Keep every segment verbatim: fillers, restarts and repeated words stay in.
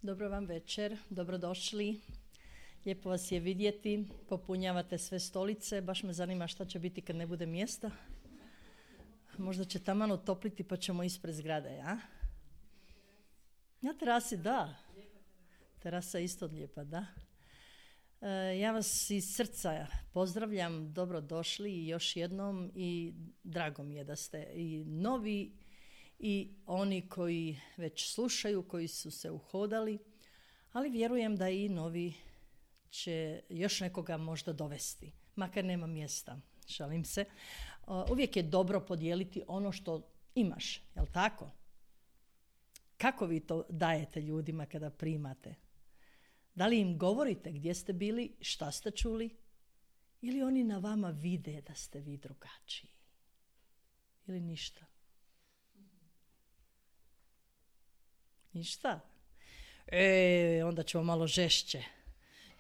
Dobro vam večer, dobrodošli. Lijepo vas je vidjeti, popunjavate sve stolice, baš me zanima šta će biti kad ne bude mjesta. Možda će taman otopliti pa ćemo ispred zgrade, ja? Na terasi, da. Terasa je isto lijepa, da. E, ja vas iz srca pozdravljam, dobrodošli još jednom i drago mi je da ste i novi i oni koji već slušaju, koji su se uhodali, ali vjerujem da i novi će još nekoga možda dovesti, makar nema mjesta, šalim se. Uvijek je dobro podijeliti ono što imaš, jel tako? Kako vi to dajete ljudima kada primate? Da li im govorite gdje ste bili, šta ste čuli? Ili oni na vama vide da ste vi drugačiji? Ili ništa? Ništa? E, onda ćemo malo žešće.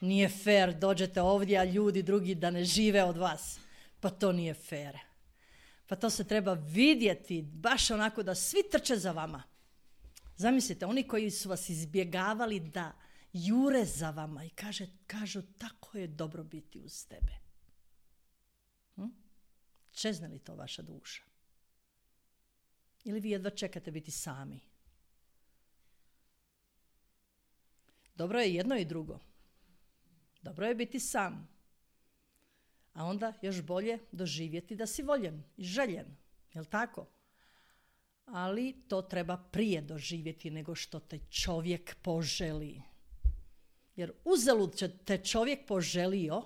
Nije fair, dođete ovdje, a ljudi drugi da ne žive od vas. Pa to nije fair. Pa to se treba vidjeti, baš onako da svi trče za vama. Zamislite, oni koji su vas izbjegavali da jure za vama i kaže, kažu tako je dobro biti uz tebe. Hm? Čezne li to vaša duša? Ili vi jedva čekate biti sami? Dobro je jedno i drugo. Dobro je biti sam. A onda još bolje doživjeti da si voljen i željen. Jel' tako? Ali to treba prije doživjeti nego što te čovjek poželi. Jer uzalud će te čovjek poželio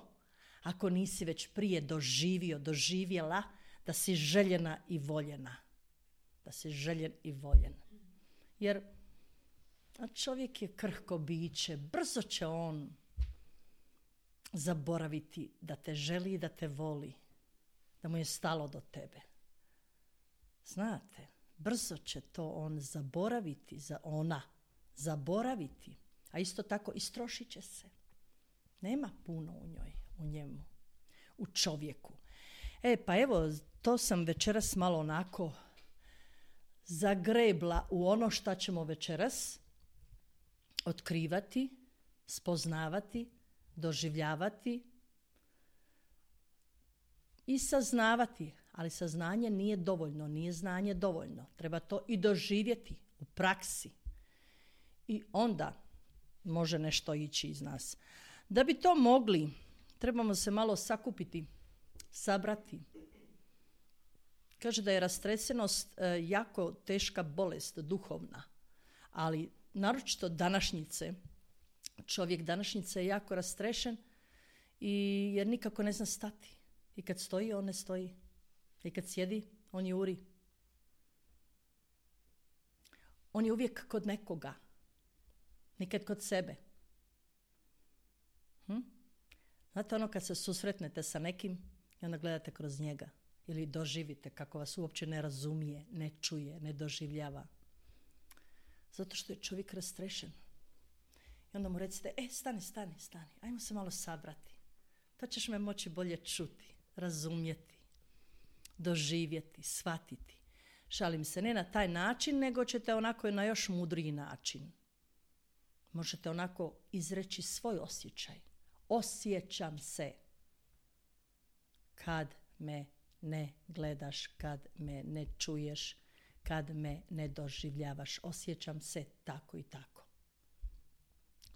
ako nisi već prije doživio, doživjela da si željena i voljena. Da si željen i voljen. Jer a čovjek je krhko biće, brzo će on zaboraviti da te želi i da te voli, da mu je stalo do tebe. Znate, brzo će to on zaboraviti, za ona zaboraviti, a isto tako istrošit će se. Nema puno u njoj, u njemu, u čovjeku. E, pa evo, to sam večeras malo onako zagrebla u ono šta ćemo večeras otkrivati, spoznavati, doživljavati i saznavati. Ali saznanje nije dovoljno, nije znanje dovoljno. Treba to i doživjeti u praksi. I onda može nešto ići iz nas. Da bi to mogli, trebamo se malo sakupiti, sabrati. Kaže da je rastresenost e, jako teška bolest, duhovna, ali naročito današnjice, čovjek današnjice je jako rastrešen i jer nikako ne zna stati. I kad stoji, on ne stoji. I kad sjedi, on juri. On je uvijek kod nekoga. Nikad kod sebe. Hm? Znate ono kad se susretnete sa nekim i onda gledate kroz njega. Ili doživite kako vas uopće ne razumije, ne čuje, ne doživljava. Zato što je čovjek rastrešen. I onda mu recite, e, stani, stani, stani, ajmo se malo sabrati. Pa ćeš me moći bolje čuti, razumjeti, doživjeti, shvatiti. Šalim se, ne na taj način, nego ćete onako na još mudriji način. Možete onako izreći svoj osjećaj. Osjećam se kad me ne gledaš, kad me ne čuješ, kad me ne doživljavaš. Osjećam se tako i tako.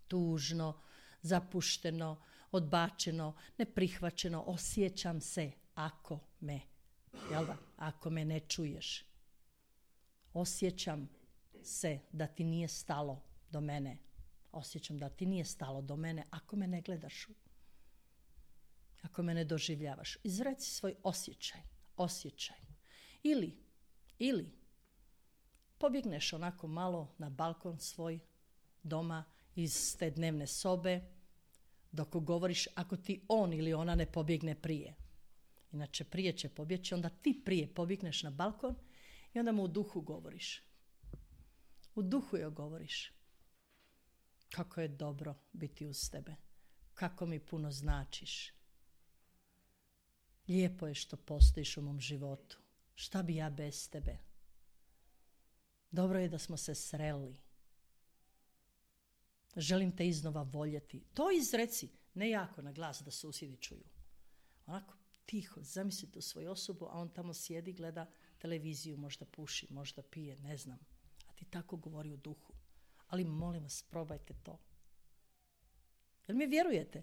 Tužno, zapušteno, odbačeno, neprihvaćeno. Osjećam se ako me, jel da, ako me ne čuješ. Osjećam se da ti nije stalo do mene. Osjećam da ti nije stalo do mene ako me ne gledaš. Ako me ne doživljavaš. Izreci svoj osjećaj. Osjećaj. Ili, ili pobjegneš onako malo na balkon svoj doma iz te dnevne sobe dok govoriš ako ti on ili ona ne pobjegne prije. Inače prije će pobjeći, onda ti prije pobjegneš na balkon i onda mu u duhu govoriš. U duhu joj govoriš. Kako je dobro biti uz tebe. Kako mi puno značiš. Lijepo je što postojiš u mom životu. Šta bi ja bez tebe? Dobro je da smo se sreli. Želim te iznova voljeti. To izreci, ne jako na glas da susjedi čuju. Onako tiho, zamislite u svoju osobu, a on tamo sjedi, gleda televiziju, možda puši, možda pije, ne znam. A ti tako govori u duhu. Ali molim vas, probajte to. Jel mi vjerujete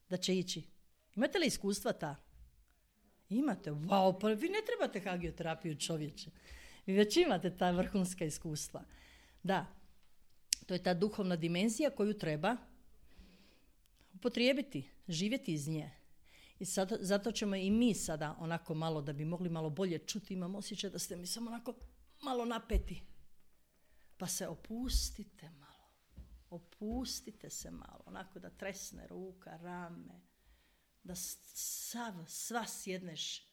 da će ići? Imate li iskustva ta? Imate, wow, pa vi ne trebate hagioterapiju, čovječe. Vi već imate ta vrhunska iskustva. Da, to je ta duhovna dimenzija koju treba upotrijebiti, živjeti iz nje. I sad, zato ćemo i mi sada onako malo, da bi mogli malo bolje čuti, imam osjećaj da ste mi samo onako malo napeti. Pa se opustite malo. Opustite se malo, onako da tresne ruka, rame, da sav, sva sjedneš,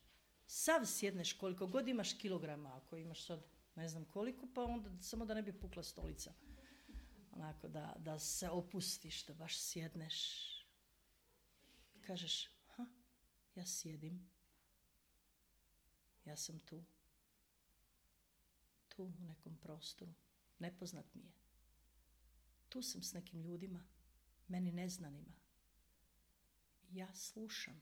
sav sjedneš koliko god imaš kilograma, ako imaš sad ne znam koliko, pa onda samo da ne bi pukla stolica. Onako da, da se opustiš, da baš sjedneš. Kažeš, ha, ja sjedim, ja sam tu, tu u nekom prostoru, nepoznat mi je. Tu sam s nekim ljudima, meni neznanima. Ja slušam.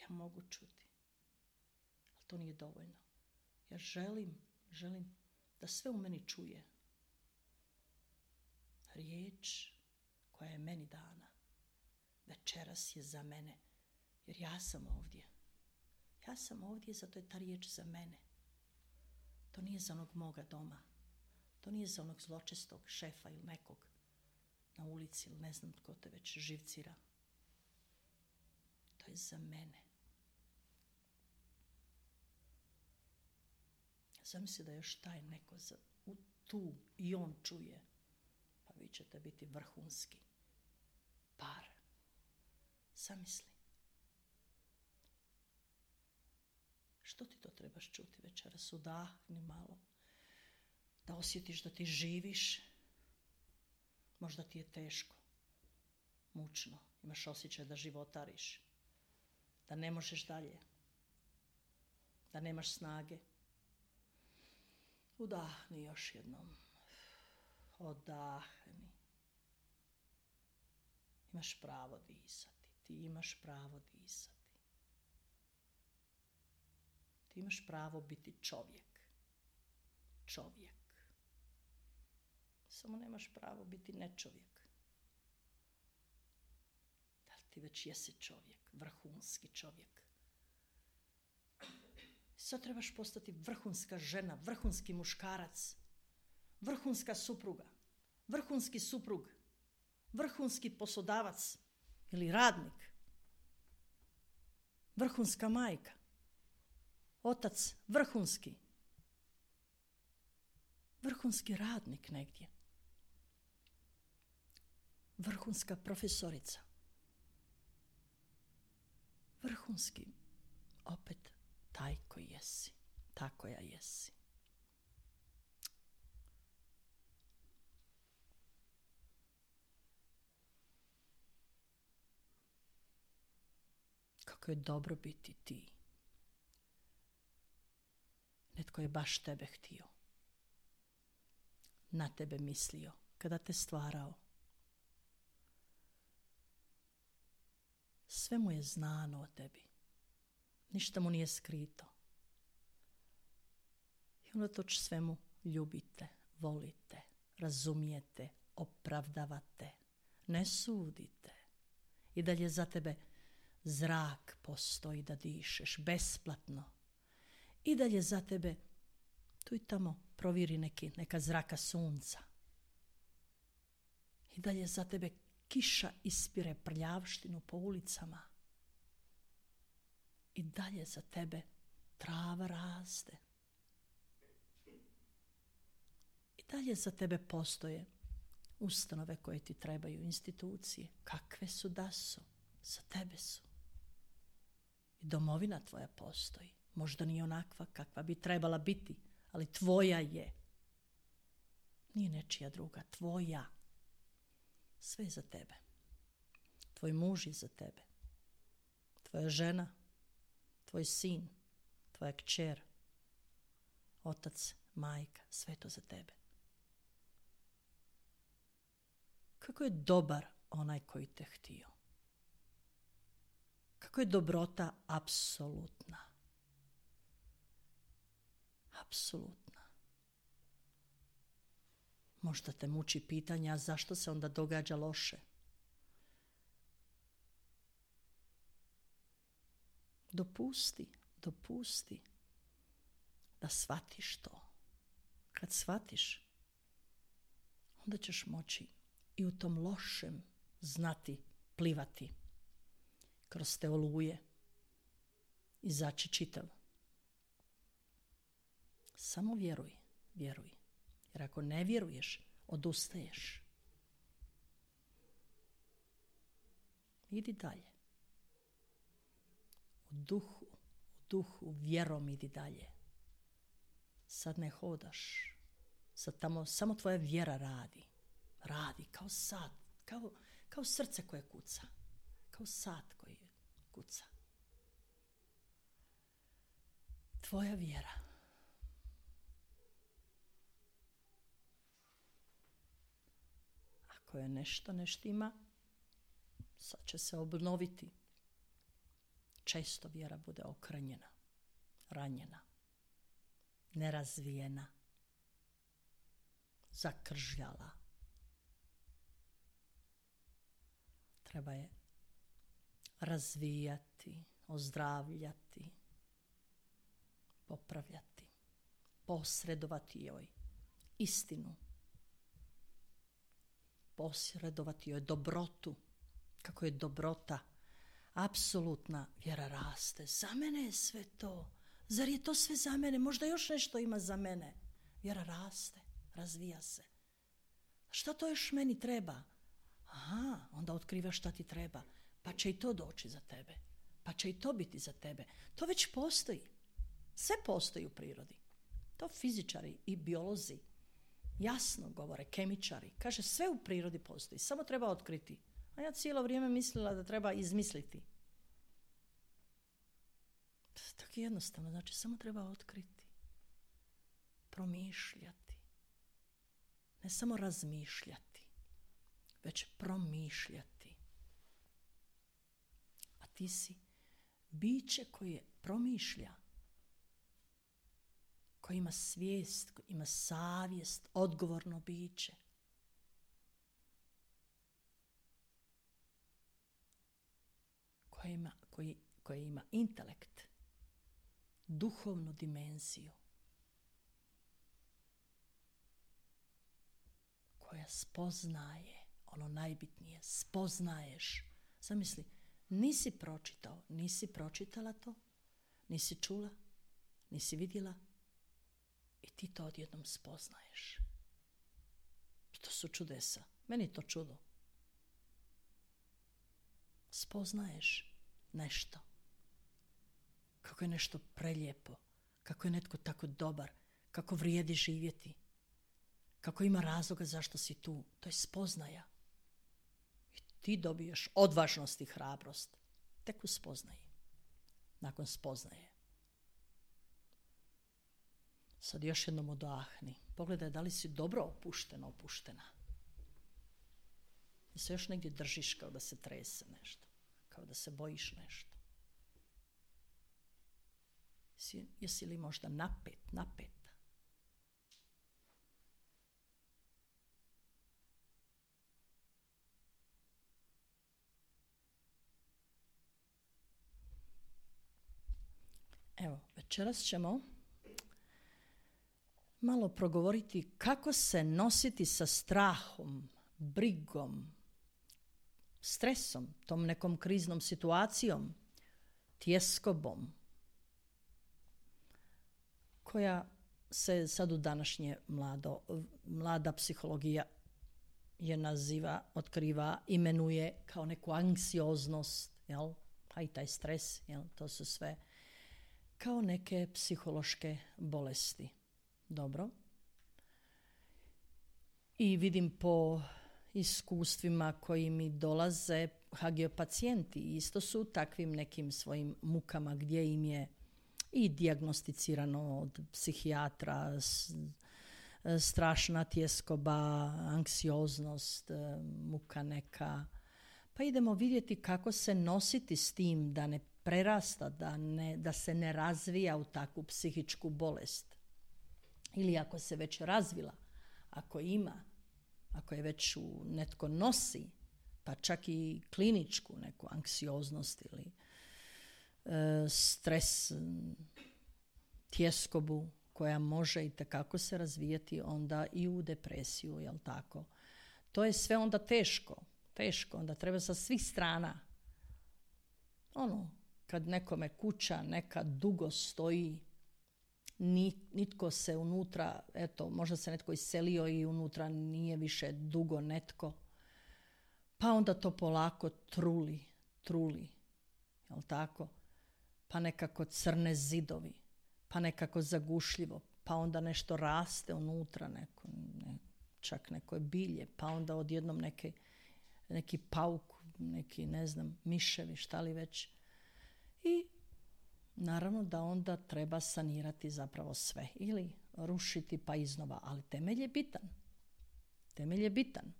Ja mogu čuti. Ali to nije dovoljno. Ja želim, želim da sve u meni čuje. Riječ koja je meni dana. Večeras je za mene. Jer ja sam ovdje. Ja sam ovdje, zato je ta riječ za mene. To nije za onog moga doma. To nije za onog zločestog šefa ili nekog na ulici ili ne znam tko te već živcira. To je za mene. Zamisli da još taj neko za, u, tu i on čuje. Pa vi ćete biti vrhunski par. Zamisli. Što ti to trebaš čuti večeras? Udahni malo. Da osjetiš da ti živiš. Možda ti je teško, mučno. Imaš osjećaj da životariš. Da ne možeš dalje. Da nemaš snage. Udahni još jednom. Odahni. Imaš pravo disati. Ti imaš pravo disati. Ti imaš pravo biti čovjek. Čovjek. Samo nemaš pravo biti nečovjek. Da li ti već jesi čovjek, vrhunski čovjek? Sad trebaš postati vrhunska žena, vrhunski muškarac, vrhunska supruga, vrhunski suprug, vrhunski poslodavac ili radnik, vrhunska majka, otac vrhunski, vrhunski radnik negdje, vrhunska profesorica, vrhunski opet taj koji jesi, ta koja jesi. Kako je dobro biti ti. Netko je baš tebe htio. Na tebe mislio kada te stvarao. Sve mu je znano o tebi. Ništa mu nije skrito. I unatoč svemu ljubite, volite, razumijete, opravdavate, ne sudite. I dalje za tebe zrak postoji da dišeš besplatno. I dalje za tebe tu i tamo proviri neki, neka zraka sunca. I dalje za tebe kiša ispire prljavštinu po ulicama. I dalje za tebe trava raste. I dalje za tebe postoje ustanove koje ti trebaju, institucije. Kakve su da su, za tebe su. I domovina tvoja postoji. Možda nije onakva kakva bi trebala biti, ali tvoja je. Nije nečija druga, tvoja. Sve je za tebe. Tvoj muž je za tebe. Tvoja žena, tvoj sin, tvoja kćer, otac, majka, sve to za tebe. kako je dobar onaj koji te htio. Kako je dobrota apsolutna. Apsolutna. Možda te muči pitanja zašto se onda događa loše. Dopusti, dopusti da shvatiš to. Kad shvatiš, onda ćeš moći i u tom lošem znati plivati kroz te oluje, izaći čitav. Samo vjeruj, vjeruj. Jer ako ne vjeruješ, odustaješ. Idi dalje. U duhu, u duhu, vjerom idi dalje. Sad ne hodaš. Sad tamo samo tvoja vjera radi. Radi kao sad, kao, kao srce koje kuca. Kao sat koji kuca. Tvoja vjera. Ako je nešto ne štima, sad će se obnoviti. Često vjera bude okranjena, ranjena, nerazvijena, zakržljala. Treba je razvijati, ozdravljati, popravljati, posredovati joj istinu, posredovati joj dobrotu. Kako je dobrota apsolutna, vjera raste. Za mene je sve to. Zar je to sve za mene? Možda još nešto ima za mene. Vjera raste, razvija se. Šta to još meni treba? Aha, onda otkrivaš šta ti treba. Pa će i to doći za tebe. Pa će i to biti za tebe. To već postoji. Sve postoji u prirodi. To fizičari i biolozi jasno govore, kemičari. Kaže, sve u prirodi postoji. Samo treba otkriti. A ja cijelo vrijeme mislila da treba izmisliti. Tako jednostavno. Znači, samo treba otkriti. Promišljati. Ne samo razmišljati, već promišljati. A ti si biće koje promišlja, koji ima svijest, koji ima savjest, odgovorno biće. Koje ima, koji, koje ima intelekt, duhovnu dimenziju, koja spoznaje ono najbitnije. Spoznaješ. Zamisli, nisi pročitao, nisi pročitala to, nisi čula, nisi vidjela i ti to odjednom spoznaješ. To su čudesa. Meni je to čudo. Spoznaješ nešto. Kako je nešto prelijepo, kako je netko tako dobar, kako vrijedi živjeti, kako ima razloga zašto si tu. To je spoznaja. I ti dobiješ odvažnost i hrabrost tek u spoznaji. Nakon spoznaje. Sad još jednom odahni. Pogledaj da li si dobro opuštena, opuštena. I se još negdje držiš kao da se trese nešto. Kao da se bojiš nešto. Jesi, jesi li možda napet, napeta? Evo, večeras ćemo malo progovoriti kako se nositi sa strahom, brigom, stresom, tom nekom kriznom situacijom, tjeskobom, koja se sad u današnje mlado, mlada psihologija je naziva, otkriva, imenuje kao neku anksioznost, jel? Pa i taj stres, jel? To su sve kao neke psihološke bolesti. Dobro. I vidim po iskustvima koji mi dolaze, ha ge pacijenti isto su u takvim nekim svojim mukama gdje im je i dijagnosticirano od psihijatra, strašna tjeskoba, anksioznost, muka neka. Pa idemo vidjeti kako se nositi s tim da ne prerasta, da, ne, da se ne razvija u takvu psihičku bolest. Ili ako se već razvila, ako ima, ako je već u, netko nosi, pa čak i kliničku neku anksioznost ili e, stres, tjeskobu koja može i tekako se razvijati onda i u depresiju, jel tako? To je sve onda teško, teško, onda treba sa svih strana. Ono, kad nekome kuća neka dugo stoji, nitko se unutra, eto, možda se netko iselio i unutra nije više dugo netko, pa onda to polako truli, truli, jel tako? Pa nekako crne zidovi, pa nekako zagušljivo, pa onda nešto raste unutra, neko, ne, čak neko bilje, pa onda odjednom neke, neki pauk, neki, ne znam, miševi, šta li već. I naravno da onda treba sanirati zapravo sve ili rušiti pa iznova, ali temelj je bitan. Temelj je bitan.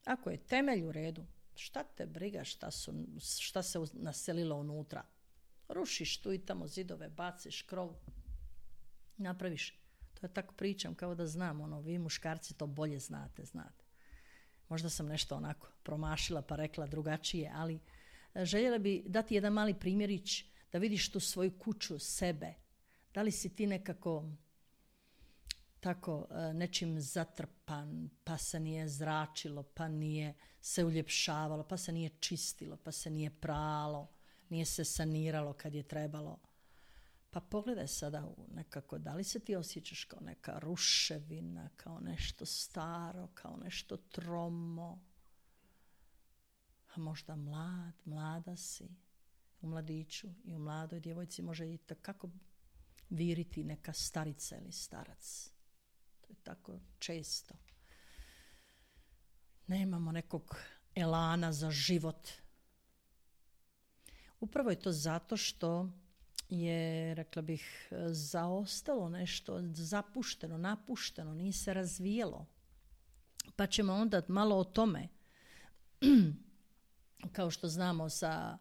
Ako je temelj u redu, šta te briga šta, su, šta se naselilo unutra? Rušiš tu i tamo zidove, baciš krov, napraviš. To je tako pričam kao da znam, ono, vi muškarci to bolje znate, znate. Možda sam nešto onako promašila pa rekla drugačije, ali željela bi dati jedan mali primjerić da vidiš tu svoju kuću, sebe. Da li si ti nekako tako nečim zatrpan, pa se nije zračilo, pa nije se uljepšavalo, pa se nije čistilo, pa se nije pralo, nije se saniralo kad je trebalo. Pa pogledaj sada nekako, da li se ti osjećaš kao neka ruševina, kao nešto staro, kao nešto tromo. A možda mlad, mlada si. U mladiću i u mladoj djevojci može i tako viriti neka starica ili starac. To je tako često. Nemamo nekog elana za život. Upravo je to zato što je, rekla bih, zaostalo nešto, zapušteno, napušteno, nije se razvijelo. Pa ćemo onda malo o tome, kao što znamo sa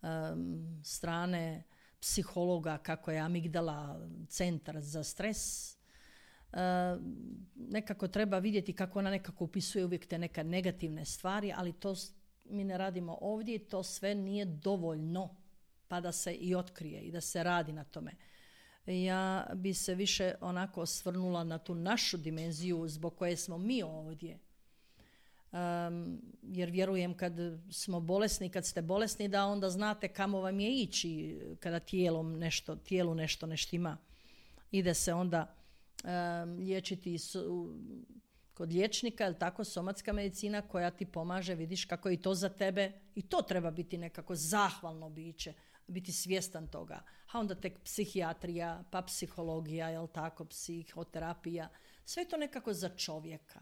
um, strane psihologa, kako je amigdala centar za stres, uh, nekako treba vidjeti kako ona nekako upisuje uvijek te neka negativne stvari, ali to mi ne radimo ovdje i to sve nije dovoljno pa da se i otkrije i da se radi na tome. Ja bi se više onako osvrnula na tu našu dimenziju zbog koje smo mi ovdje. Um, jer vjerujem kad smo bolesni, kad ste bolesni, da onda znate kamo vam je ići kada tijelom nešto, tijelu nešto ne štima. Ide se onda um, liječiti su, kod liječnika, ili tako, somatska medicina koja ti pomaže, vidiš kako je i to za tebe, i to treba biti nekako zahvalno biće, biti svjestan toga. A onda tek psihijatrija, pa psihologija, jel tako, psihoterapija, sve to nekako za čovjeka.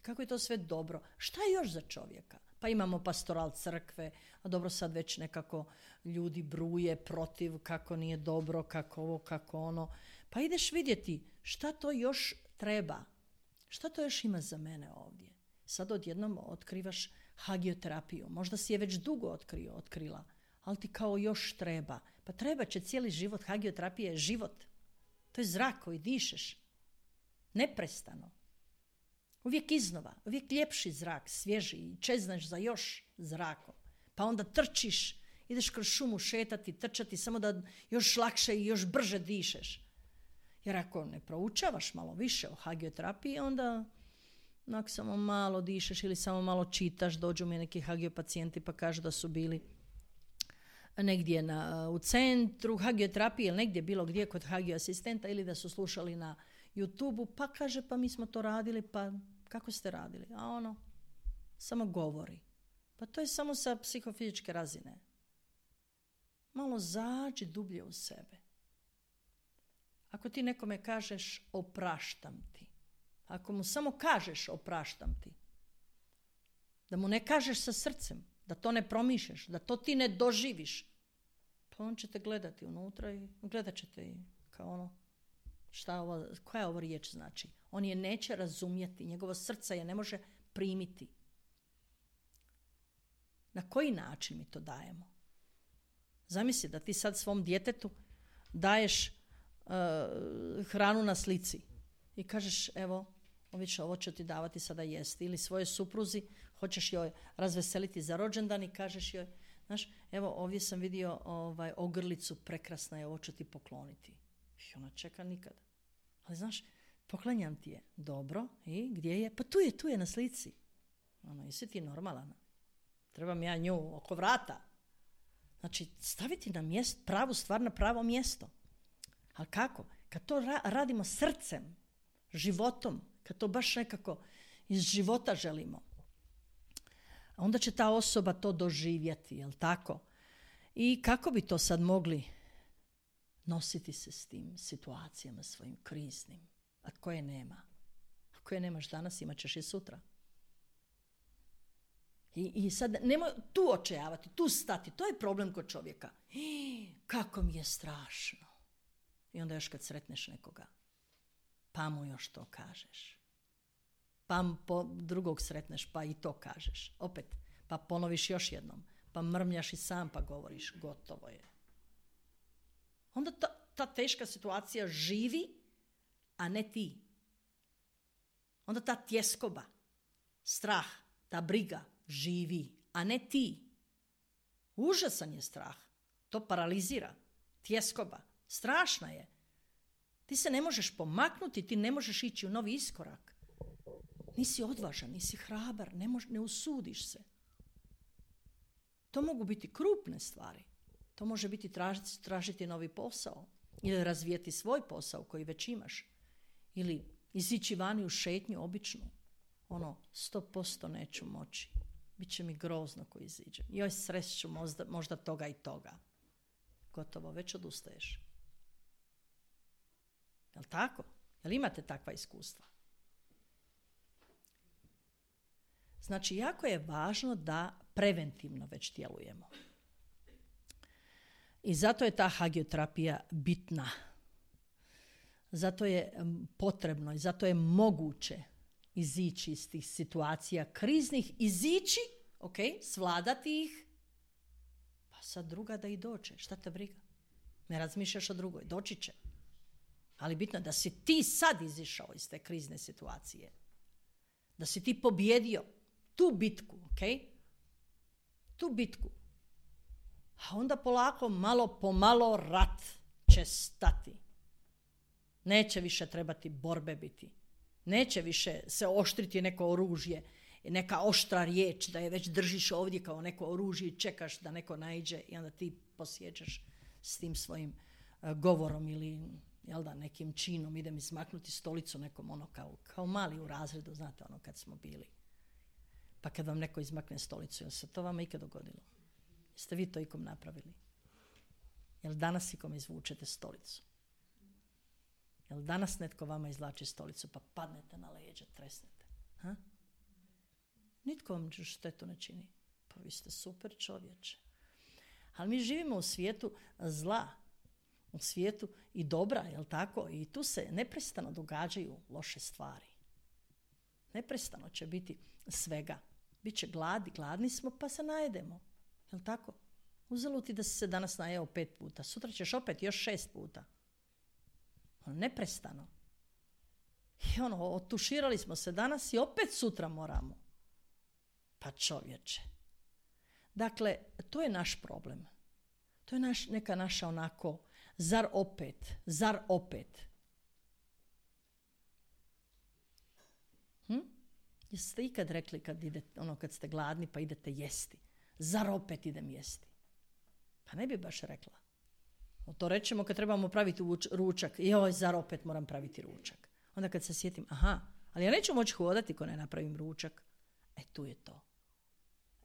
Kako je to sve dobro. Šta je još za čovjeka? Pa imamo pastoral crkve, a dobro sad već nekako ljudi bruje protiv kako nije dobro, kako ovo, kako ono. Pa ideš vidjeti šta to još treba. Šta to još ima za mene ovdje? Sad odjednom otkrivaš hagioterapiju. Možda si je već dugo otkrio, otkrila, ali ti kao još treba. Pa treba će cijeli život. Hagioterapija je život. To je zrak koji dišeš. Neprestano. Uvijek iznova, uvijek ljepši zrak, svježi i čeznaš za još zrakom. Pa onda trčiš, ideš kroz šumu šetati, trčati, samo da još lakše i još brže dišeš. Jer ako ne proučavaš malo više o hagioterapiji, onda ako samo malo dišeš ili samo malo čitaš, dođu mi neki hagiopacijenti pa kažu da su bili negdje na, u centru hagioterapije ili negdje bilo gdje kod hagioasistenta ili da su slušali na YouTubeu, pa kaže, pa mi smo to radili, pa kako ste radili? A ono, samo govori. Pa to je samo sa psihofizičke razine. Malo zađi dublje u sebe. Ako ti nekome kažeš opraštam ti, ako mu samo kažeš opraštam ti, da mu ne kažeš sa srcem, da to ne promišljaš, da to ti ne doživiš, pa on će te gledati unutra i gledat će te i kao ono, šta ovo, koja ovo riječ znači? On je neće razumjeti, njegovo srce je ne može primiti. Na koji način mi to dajemo? Zamisli da ti sad svom djetetu daješ uh, hranu na slici i kažeš, evo, oviće, ovo ću ti davati sada jesti. Ili svoje supruzi, hoćeš joj razveseliti za rođendan i kažeš joj, znaš, evo ovdje sam vidio ovaj, ogrlicu, prekrasna je, ovo ću ti pokloniti. I ona čeka nikad. Ali znaš, poklanjam ti je. Dobro, i gdje je? Pa tu je, tu je na slici. Ono, jesi ti normalan? Trebam ja nju oko vrata. Znači, staviti na mjesto, pravu stvar na pravo mjesto. Ali kako? Kad to ra- radimo srcem, životom, kad to baš nekako iz života želimo, onda će ta osoba to doživjeti, jel tako? I kako bi to sad mogli nositi se s tim situacijama svojim kriznim, a koje nema? A koje nemaš danas, imat ćeš i sutra. I, i sad nemoj tu očajavati, tu stati, to je problem kod čovjeka. Hi, kako mi je strašno. I onda još kad sretneš nekoga, pa mu još to kažeš. Pa po drugog sretneš, pa i to kažeš. Opet, pa ponoviš još jednom. Pa mrmljaš i sam pa govoriš, gotovo je. Onda ta, ta teška situacija živi, a ne ti. Onda ta tjeskoba, strah, ta briga živi, a ne ti. Užasan je strah. To paralizira. Tjeskoba. Strašna je. Ti se ne možeš pomaknuti, ti ne možeš ići u novi iskorak. Nisi odvažan, nisi hrabar, ne, mož, ne usudiš se. To mogu biti krupne stvari. To može biti tražiti, tražiti novi posao ili razvijeti svoj posao koji već imaš. Ili izići vani u šetnju običnu. Ono, sto posto neću moći. Biće mi grozno ko iziđem. Joj, sreću možda, možda toga i toga. Gotovo, već odustaješ. Jel' tako? Jel' imate takva iskustva? Znači, jako je važno da preventivno već djelujemo. I zato je ta hagioterapija bitna. Zato je potrebno i zato je moguće izići iz tih situacija kriznih, izići, ok, svladati ih, pa sad druga da i dođe. Šta te briga? Ne razmišljaš o drugoj, doći će. Ali bitno je da si ti sad izišao iz te krizne situacije. Da si ti pobjedio tu bitku, ok? Tu bitku. A onda polako, malo po malo rat će stati. Neće više trebati borbe biti. Neće više se oštriti neko oružje, neka oštra riječ da je već držiš ovdje kao neko oružje i čekaš da neko naiđe i onda ti posjećaš s tim svojim uh, govorom ili jel da, nekim činom idem izmaknuti stolicu nekom ono kao, kao mali u razredu, znate ono kad smo bili. Pa kad vam neko izmakne stolicu, jel se to vama ikad dogodilo? Jeste vi to ikom napravili? Jel danas ikom izvučete stolicu? Jel danas netko vama izvlači stolicu pa padnete na leđe, tresnete? Ha? Nitko vam štetu ne čini. Pa vi ste super čovječe. Ali mi živimo u svijetu zla, u svijetu i dobra, jel tako? I tu se neprestano događaju loše stvari. Neprestano će biti svega. Biće gladi, gladni smo pa se najedemo. Jel tako? Uzelo ti da si se danas najeo pet puta, sutra ćeš opet još šest puta. Neprestano. I ono, otuširali smo se danas i opet sutra moramo. Pa čovječe. Dakle, to je naš problem. To je naš, neka naša onako, zar opet, zar opet. Hm? Jeste ikad rekli kad, idete, ono, kad ste gladni pa idete jesti? Zar opet idem jesti? Pa ne bi baš rekla. To rećemo kad trebamo praviti ručak. Joj, zar opet moram praviti ručak? Onda kad se sjetim, aha, ali ja neću moći hodati ko ne napravim ručak. E, tu je to.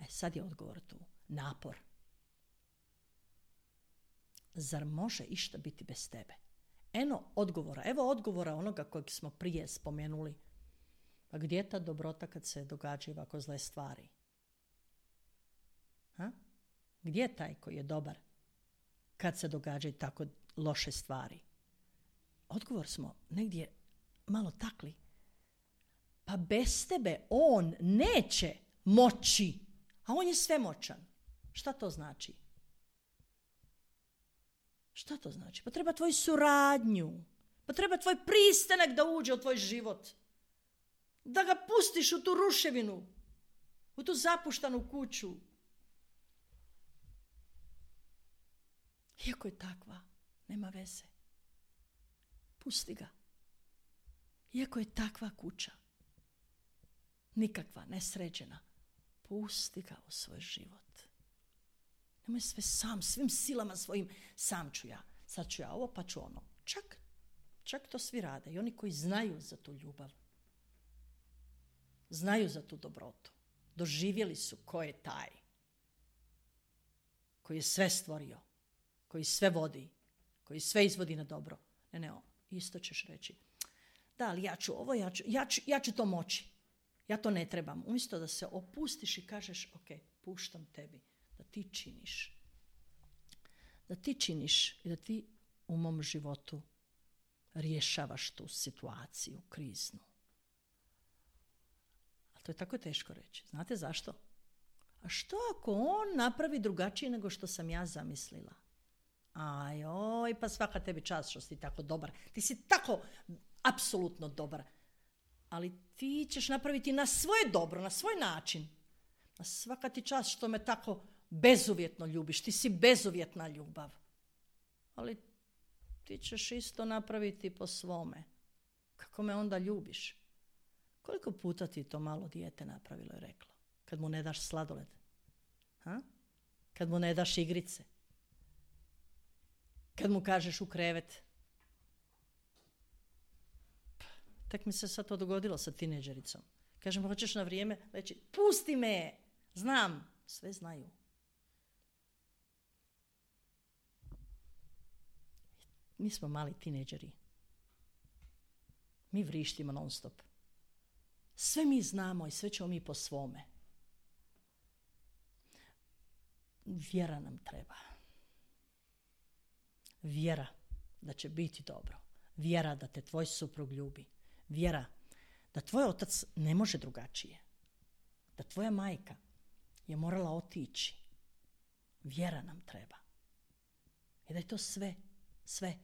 E, sad je odgovor tu. Napor. Zar može išta biti bez tebe? Eno odgovora. Evo odgovora onoga kojeg smo prije spomenuli. Pa gdje je ta dobrota kad se događaju ovako zle stvari? Ha? Gdje je taj koji je dobar kad se događaju tako loše stvari? Odgovor smo negdje malo takli, Pa bez tebe on neće moći, a on je svemoćan. Šta to znači? Šta to znači? Pa treba tvoju suradnju. Pa treba tvoj pristanak da uđe u tvoj život. Da ga pustiš u tu ruševinu. U tu zapuštanu kuću. Iako je takva, nema veze. Pusti ga. Iako je takva kuća. Nikakva, nesređena. Pusti ga u svoj život. Nemoj sve sam, svim silama svojim, sam ću ja. Sad ću ja ovo, pa ću ono. Čak, čak to svi rade. I oni koji znaju za tu ljubav. Znaju za tu dobrotu. Doživjeli su ko je taj. Koji je sve stvorio. Koji sve vodi. Koji sve izvodi na dobro. Ne, ne, isto ćeš reći. Da, ali ja ću ovo, ja ću, ja ću, ja ću to moći. Ja to ne trebam. Umjesto da se opustiš i kažeš, ok, puštam tebi. Da ti činiš. Da ti činiš i da ti u mom životu rješavaš tu situaciju kriznu. Ali to je tako teško reći. Znate zašto? A što ako on napravi drugačije nego što sam ja zamislila? Aj, oj, pa svaka tebi čast što si ti tako dobar. Ti si tako apsolutno dobar. Ali ti ćeš napraviti na svoje dobro, na svoj način. A svaka ti čast što me tako bezuvjetno ljubiš. Ti si bezuvjetna ljubav. Ali ti ćeš isto napraviti po svome. Kako me onda ljubiš? Koliko puta ti to malo dijete napravilo i reklo? Kad mu ne daš sladoled? Ha? Kad mu ne daš igrice? Kad mu kažeš u krevet? Tek mi se sad to dogodilo sa tineđericom. Kažem, hoćeš na vrijeme reći, pusti me, znam, sve znaju. Mi smo mali tineđeri. Mi vrištimo non stop. Sve mi znamo i sve ćemo mi po svome. Vjera nam treba. Vjera da će biti dobro. Vjera da te tvoj suprug ljubi. Vjera da tvoj otac ne može drugačije. Da tvoja majka je morala otići. Vjera nam treba. I da je to sve, sve,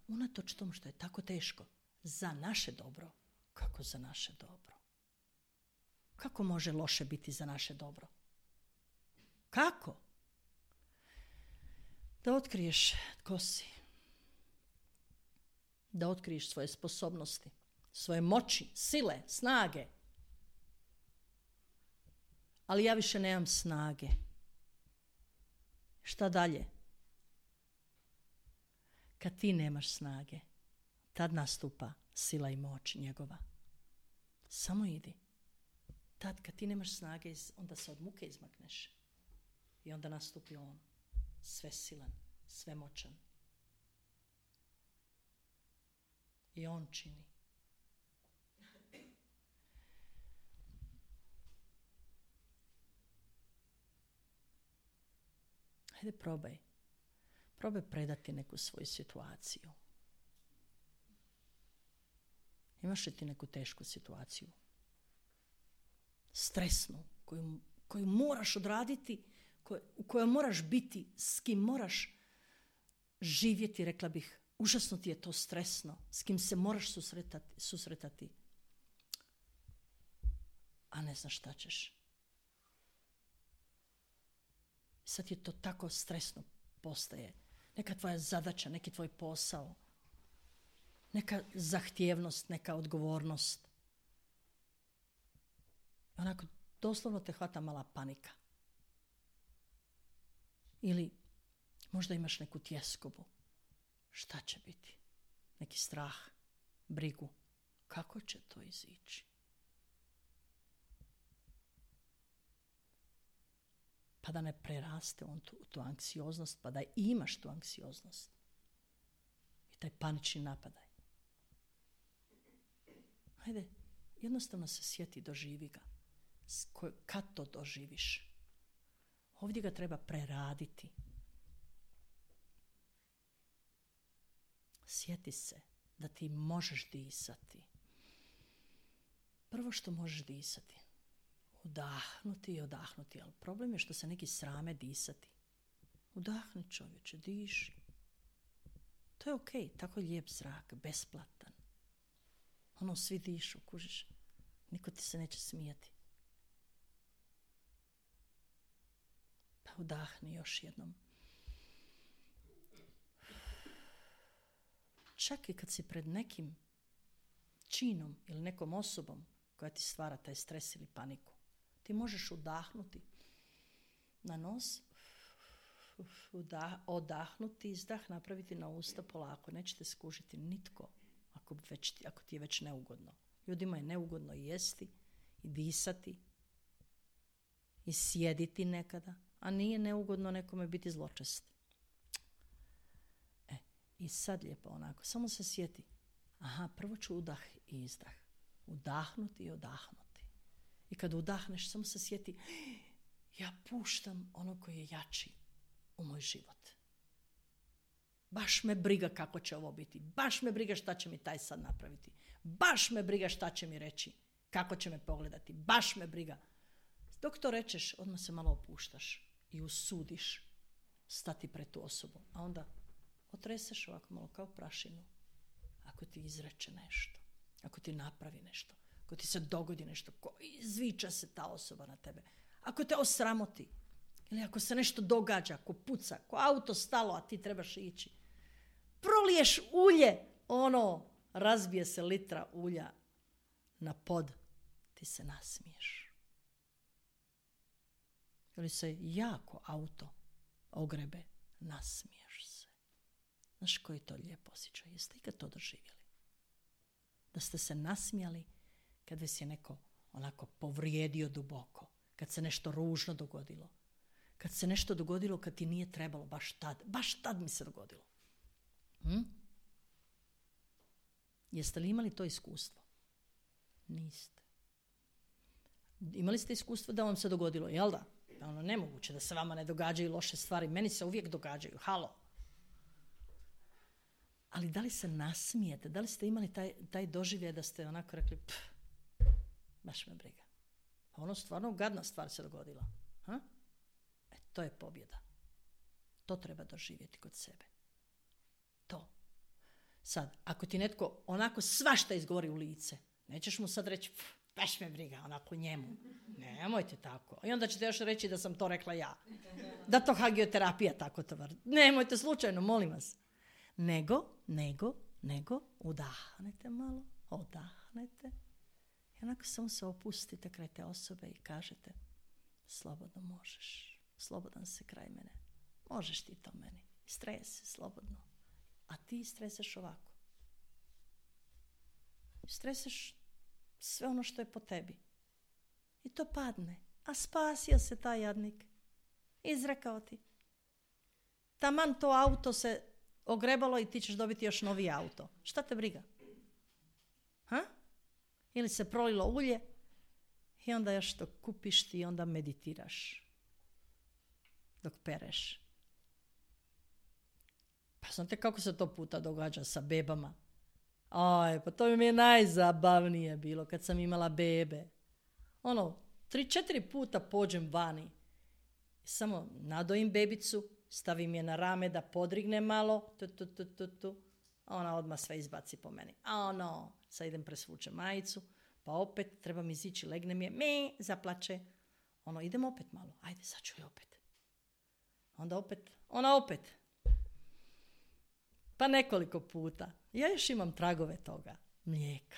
unatoč tomu što je tako teško, za naše dobro. Kako za naše dobro? Kako može loše biti za naše dobro? Kako? Da otkriješ tko si. Da otkriješ svoje sposobnosti, svoje moći, sile, snage. Ali ja više nemam snage. Šta dalje? Kad ti nemaš snage, tad nastupa sila i moć njegova. Samo idi. Tad kad ti nemaš snage, onda se od muke izmakneš. I onda nastupi on. Sve silan, sve moćan. I on čini. Hajde probaj. Probaj predati neku svoju situaciju. Imaš li ti neku tešku situaciju? Stresnu, koju, koju moraš odraditi, koj, u kojoj moraš biti, s kim moraš živjeti, rekla bih. Užasno ti je to stresno, s kim se moraš susretati, susretati. A ne znaš šta ćeš. Sad je to tako stresno postaje. Neka tvoja zadaća, neki tvoj posao, neka zahtjevnost, neka odgovornost. Onako, doslovno te hvata mala panika. Ili možda imaš neku tjeskobu. Šta će biti? Neki strah, brigu. Kako će to izići? Pa da ne preraste on tu, tu anksioznost, pa da imaš tu anksioznost. I taj panični napadaj. Hajde, jednostavno se sjeti, doživi ga. Kad to doživiš? Ovdje ga treba preraditi. Sjeti se da ti možeš disati. Prvo što možeš disati. Udahnuti i odahnuti. Ali problem je što se neki srame disati. Udahni čovječe, diši. To je okej, okay, tako je lijep zrak, besplatan. Ono, svi dišu, kužiš. Niko ti se neće smijati. Pa udahni još jednom. Čak i kad si pred nekim činom ili nekom osobom koja ti stvara taj stres ili paniku, ti možeš udahnuti na nos, udah, odahnuti, izdah napraviti na usta polako. Nećete skužiti nitko ako, već, ako ti je već neugodno. Ljudima je neugodno jesti i disati i sjediti nekada, a nije neugodno nekome biti zločest. E, i sad lijepo onako, samo se sjeti. Aha, prvo ću udah i izdah. Udahnuti i odahnuti. I kad udahneš, samo se sjeti, ja puštam ono koji je jači u moj život. Baš me briga kako će ovo biti. Baš me briga šta će mi taj sad napraviti. Baš me briga šta će mi reći. Kako će me pogledati. Baš me briga. Dok to rečeš, odmah se malo opuštaš i usudiš stati pred tu osobu. A onda otreseš ovako malo kao prašinu. Ako ti izreče nešto. Ako ti napravi nešto. Ako ti se dogodi nešto. Ko izviča se ta osoba na tebe. Ako te osramoti. Ili ako se nešto događa, ko puca, ko auto stalo, a ti trebaš ići. Proliješ ulje, ono, razbije se litra ulja na pod, ti se nasmiješ. Ili se jako auto ogrebe, nasmiješ se. Znaš koji to lijep osjećaj? Jeste ikad to doživjeli? Da ste se nasmijali kad vas je neko onako povrijedio duboko, kad se nešto ružno dogodilo. Kad se nešto dogodilo kad ti nije trebalo, baš tad. Baš tad mi se dogodilo. Hm? Jeste li imali to iskustvo? Niste. Imali ste iskustvo da vam se dogodilo, jel da? Ono, nemoguće da se vama ne događaju loše stvari. Meni se uvijek događaju. Halo. Ali da li se nasmijete? Da li ste imali taj, taj doživljaj da ste onako rekli, pff, baš me briga. Pa ono stvarno gadna stvar se dogodila. Ha? To je pobjeda. To treba doživjeti kod sebe. To. Sad, ako ti netko onako svašta izgovori u lice, nećeš mu sad reći, baš me briga, onako njemu. Nemojte tako. I onda ćete još reći da sam to rekla ja. Da to hagioterapija tako to vrti. Nemojte slučajno, molim vas. Nego, nego, nego, udahnete malo, odahnete. I onako samo se opustite kraj te osobe i kažete, slobodno možeš. Slobodan se kraj mene. Možeš ti to meni. Stresi, slobodno. A ti streseš ovako. Streseš sve ono što je po tebi. I to padne. A spasio se taj jadnik. Izrekao ti. Taman to auto se ogrebalo i ti ćeš dobiti još novi auto. Šta te briga? Ha? Ili se prolilo ulje i onda još to kupiš ti i onda meditiraš. Dok pereš. Pa znate kako se to puta događa sa bebama? Aj, pa to mi je najzabavnije bilo kad sam imala bebe. Ono, tri, četiri puta pođem vani. Samo nadojim bebicu, stavim je na rame da podrigne malo, tu, tu, tu, tu, tu. A ona odmah sve izbaci po meni. A ono, sad idem presvučem majicu, pa opet trebam izići, legnem je, me, zaplače. Ono, idem opet malo, ajde, sad ću je opet. Onda opet, ona opet. Pa nekoliko puta. Ja još imam tragove toga. Mlijeka.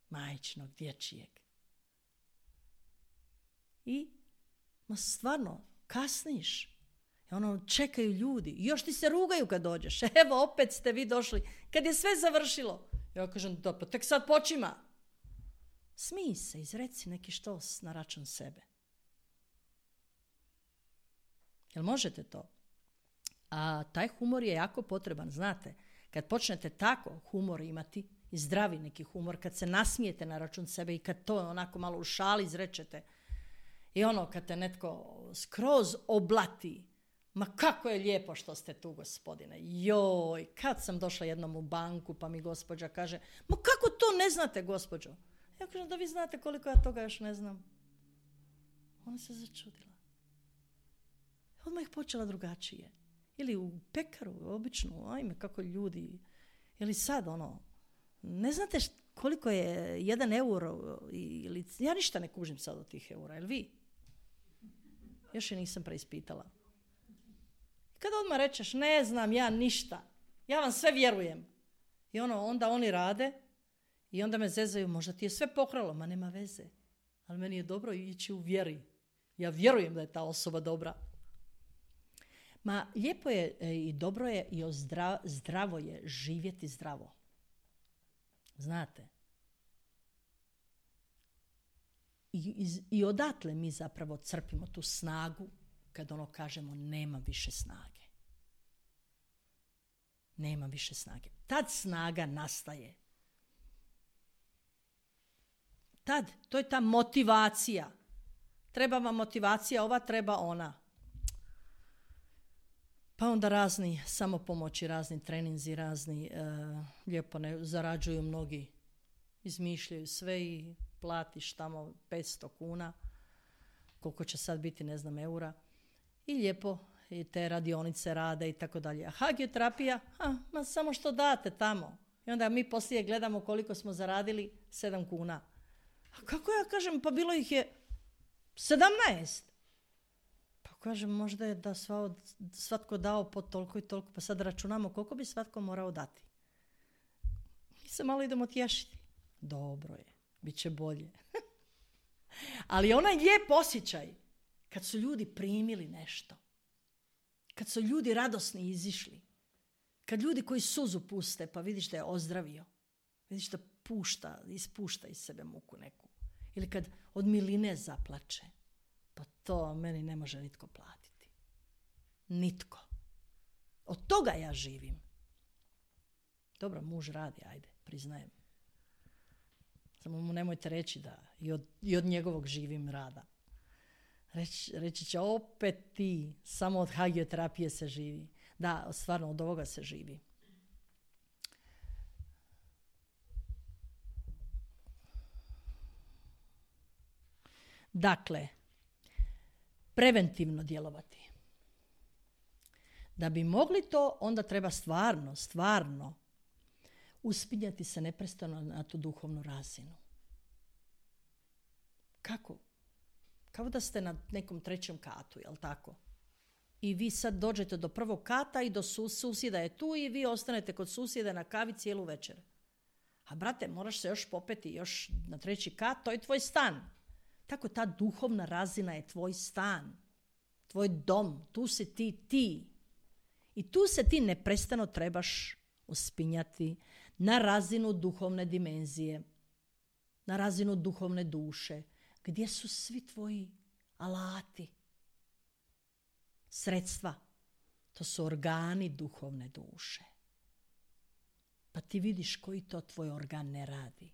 Majčinog, dječijeg. I, ma stvarno, kasniš. I ono, čekaju ljudi. I još ti se rugaju kad dođeš. Evo, opet ste vi došli. Kad je sve završilo. Ja kažem, da, pa tek sad počima. Smij se, izreci neki štos na račun sebe. Jel možete to? A taj humor je jako potreban, znate. Kad počnete tako humor imati, i zdravi neki humor, kad se nasmijete na račun sebe i kad to onako malo u šali izrečete, i ono kad te netko skroz oblati, ma kako je lijepo što ste tu, gospodine. Joj, kad sam došla jednom u banku pa mi gospođa kaže, ma kako to ne znate, gospođo? Ja kažem, da vi znate koliko ja toga još ne znam. Ona se začudila. Odmah ih počela drugačije. Ili u pekaru, običnu, ajme, kako ljudi. Ili sad, ono, ne znate št, koliko je jedan euro, ili, ja ništa ne kužim sad od tih eura, jel vi? Još je nisam preispitala. Kada odmah rečeš, ne znam ja ništa, ja vam sve vjerujem. I ono, onda oni rade i onda me zezaju, možda ti je sve pokralo, ma nema veze. Ali meni je dobro ići u vjeri. Ja vjerujem da je ta osoba dobra. Ma lijepo je i dobro je i ozdrav, zdravo je živjeti zdravo. Znate. I, i, I odatle mi zapravo crpimo tu snagu kad ono kažemo nema više snage. Nema više snage. Tad snaga nastaje. Tad, to je ta motivacija. Treba vam motivacija, ova treba ona. Pa onda razni samopomoći, razni treninzi, razni e, lijepo ne zarađuju mnogi. Izmišljaju sve i platiš tamo petsto kuna. Koliko će sad biti, ne znam, eura. I lijepo i te radionice rade i tako dalje. A hagioterapija, a, ma samo što date tamo. I onda mi poslije gledamo koliko smo zaradili, sedam kuna. A kako ja kažem, pa bilo ih je sedamnaest. Pa kažem, možda je da sva, svatko dao po toliko i toliko, pa sad računamo koliko bi svatko morao dati. Mi se malo idemo tješiti. Dobro je, bit će bolje. Ali onaj lijep osjećaj, kad su ljudi primili nešto, kad su ljudi radosni izišli, kad ljudi koji suzu puste, pa vidiš da je ozdravio, vidiš da pušta, ispušta iz sebe muku neku, ili kad od miline zaplače, pa to meni ne može nitko platiti. Nitko. Od toga ja živim. Dobro, muž radi, ajde, priznajem. Samo mu nemojte reći da i od, i od njegovog živim rada. Reći, reći će, opet ti, samo od hagioterapije se živi. Da, stvarno, od ovoga se živi. Dakle, preventivno djelovati. Da bi mogli to, onda treba stvarno, stvarno uspinjati se neprestano na tu duhovnu razinu. Kako? Kao da ste na nekom trećem katu, jel tako? I vi sad dođete do prvog kata i do sus, susjeda je tu i vi ostanete kod susjeda na kavi cijelu večer. A brate, moraš se još popeti još na treći kat, to je tvoj stan. Tako ta duhovna razina je tvoj stan, tvoj dom, tu si ti ti. I tu se ti neprestano trebaš uspinjati na razinu duhovne dimenzije, na razinu duhovne duše, gdje su svi tvoji alati, sredstva. To su organi duhovne duše. Pa ti vidiš koji to tvoj organ ne radi,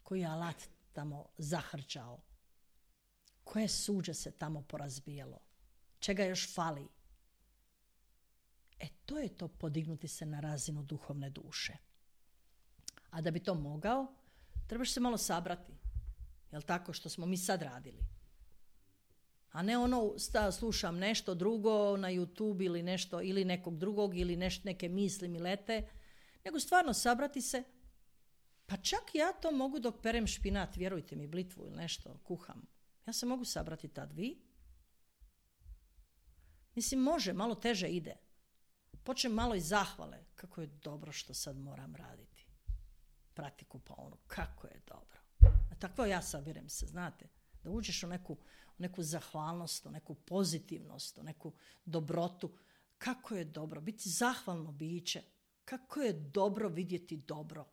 koji je alat tamo zahrčao, koje suđe se tamo porazbijalo, čega još fali. E, to je to podignuti se na razinu duhovne duše. A da bi to mogao, trebaš se malo sabrati. Jel tako što smo mi sad radili? A ne ono, sta, slušam nešto drugo na YouTube ili nešto, ili nekog drugog, ili neš, neke misli mi lete, nego stvarno sabrati se. Pa čak ja to mogu dok perem špinat, vjerujte mi, blitvu ili nešto, kuham. Ja se mogu sabrati tad, vi? Mislim, može, malo teže ide. Počnem malo iz zahvale. Kako je dobro što sad moram raditi. Prati kupaonu. Kako je dobro. A tako ja sabirem se, znate. Da uđeš u neku, u neku zahvalnost, u neku pozitivnost, u neku dobrotu. Kako je dobro. Biti zahvalno biće. Kako je dobro vidjeti dobro.